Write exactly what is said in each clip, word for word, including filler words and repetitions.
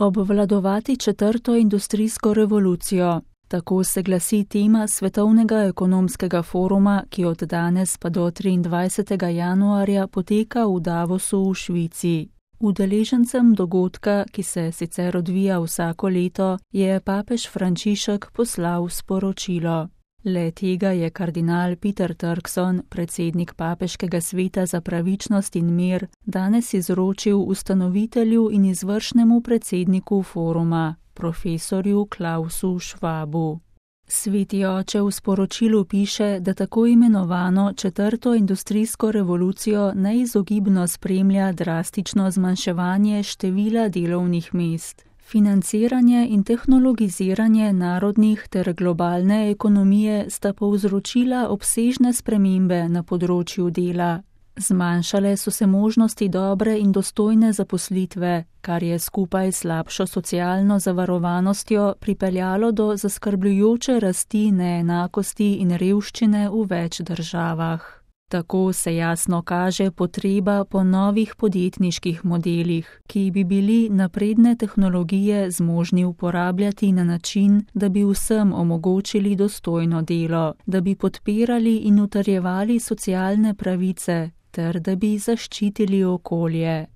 Obvladovati četrto industrijsko revolucijo. Tako se glasi tema Svetovnega ekonomskega foruma, ki od danes pa do triindvajsetega januarja poteka v Davosu v Švici. Udeležencem dogodka, ki se sicer odvija vsako leto, je papež Frančišek poslal sporočilo. Le tega je kardinal Peter Turkson, predsednik papeškega sveta za pravičnost in mir, danes izročil ustanovitelju in izvršnemu predsedniku foruma, profesorju Klausu Schwabu. Sveti oče v sporočilu piše, da tako imenovano četrto industrijsko revolucijo neizogibno spremlja drastično zmanjševanje števila delovnih mest. Financiranje in tehnologiziranje narodnih ter globalne ekonomije sta povzročila obsežne spremembe na področju dela. Zmanjšale so se možnosti dobre in dostojne zaposlitve, kar je skupaj s slabšo socialno zavarovanostjo pripeljalo do zaskrbljujoče rasti neenakosti in revščine v več državah. Tako se jasno kaže potreba po novih podjetniških modelih, ki bi bili napredne tehnologije zmožni uporabljati na način, da bi vsem omogočili dostojno delo, da bi podpirali in utrjevali socialne pravice, ter da bi zaščitili okolje.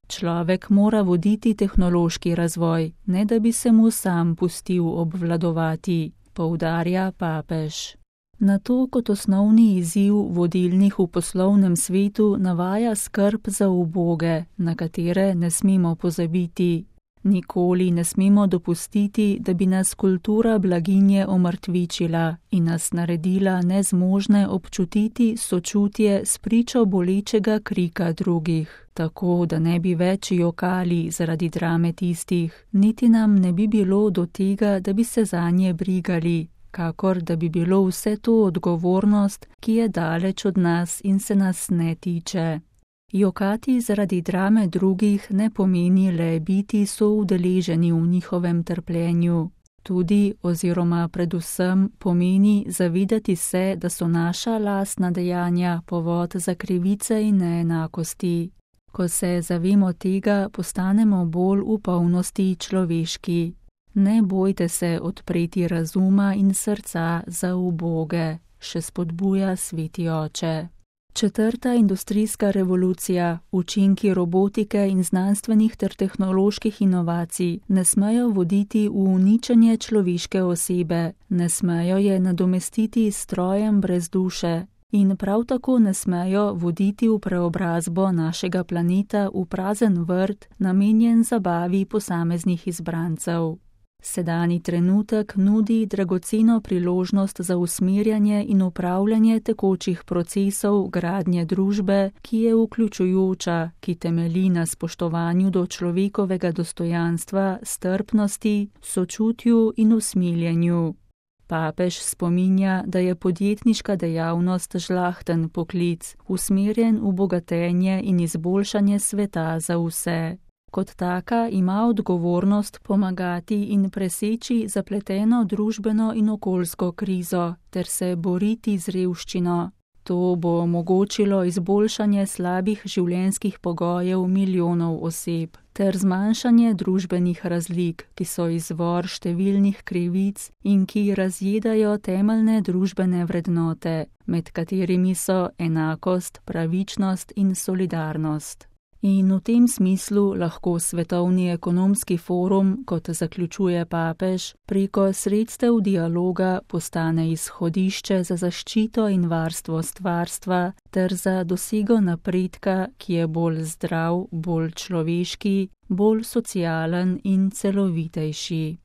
Človek mora voditi tehnološki razvoj, ne da bi se mu sam pustil obvladovati, poudarja papež. Na to kot osnovni izziv vodilnih v poslovnem svetu navaja skrb za uboge, na katere ne smemo pozabiti. Nikoli ne smemo dopustiti, da bi nas kultura blaginje omrtvičila in nas naredila nezmožne občutiti sočutje s pričo bolečega krika drugih, tako da ne bi več jokali zaradi drame tistih, niti nam ne bi bilo do tega, da bi se zanje brigali, kakor da bi bilo vse to odgovornost, ki je daleč od nas in se nas ne tiče. Jokati zaradi drame drugih ne pomeni le biti soudeleženi v njihovem trpljenju. Tudi oziroma predvsem pomeni zavedati se, da so naša lastna dejanja povod za krivice in neenakosti. Ko se zavemo tega, postanemo bolj v polnosti človeški. Ne bojte se odpreti razuma in srca za uboge, še spodbuja sveti oče. Četrta industrijska revolucija, učinki robotike in znanstvenih ter tehnoloških inovacij ne smejo voditi v uničenje človeške osebe, ne smejo je nadomestiti s strojem brez duše in prav tako ne smejo voditi v preobrazbo našega planeta v prazen vrt, namenjen zabavi posameznih izbrancev. Sedani trenutek nudi dragoceno priložnost za usmerjanje in upravljanje tekočih procesov gradnje družbe, ki je vključujoča, ki temelji na spoštovanju do človekovega dostojanstva, strpnosti, sočutju in usmiljenju. Papež spominja, da je podjetniška dejavnost žlahten poklic, usmerjen v bogatenje in izboljšanje sveta za vse. Kot taka ima odgovornost pomagati in preseči zapleteno družbeno in okoljsko krizo ter se boriti z revščino. To bo omogočilo izboljšanje slabih življenjskih pogojev milijonov oseb ter zmanjšanje družbenih razlik, ki so izvor številnih krivic in ki razjedajo temeljne družbene vrednote, med katerimi so enakost, pravičnost in solidarnost. In v tem smislu lahko Svetovni ekonomski forum, kot zaključuje papež, preko sredstev dialoga postane izhodišče za zaščito in varstvo stvarstva ter za dosego napredka, ki je bolj zdrav, bolj človeški, bolj socialen in celovitejši.